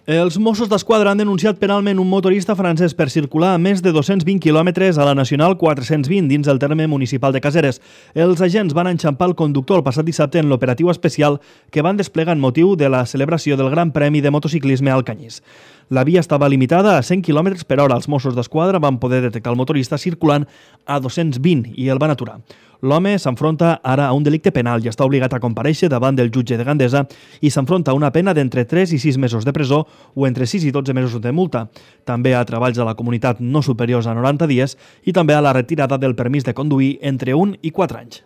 Els Mossos d'Esquadra han denunciat penalment un motorista francès per circular a més de 220 quilòmetres a la Nacional 420 dins el terme municipal de Caseres. Els agents van enxampar el conductor el passat dissabte en l'operatiu especial que van desplegar en motiu de la celebració del Gran Premi de Motociclisme al Canyís. La via estava limitada a 100 km per hora. Els Mossos d'Esquadra van poder detectar el motorista circulant a 220 i el van aturar. L'home s'enfronta ara a un delicte penal i està obligat a comparèixer davant del jutge de Gandesa i s'enfronta a una pena d'entre 3 i 6 mesos de presó o entre 6 i 12 mesos de multa. També a treballs a la comunitat no superiors a 90 dies i també a la retirada del permís de conduir entre 1 i 4 anys.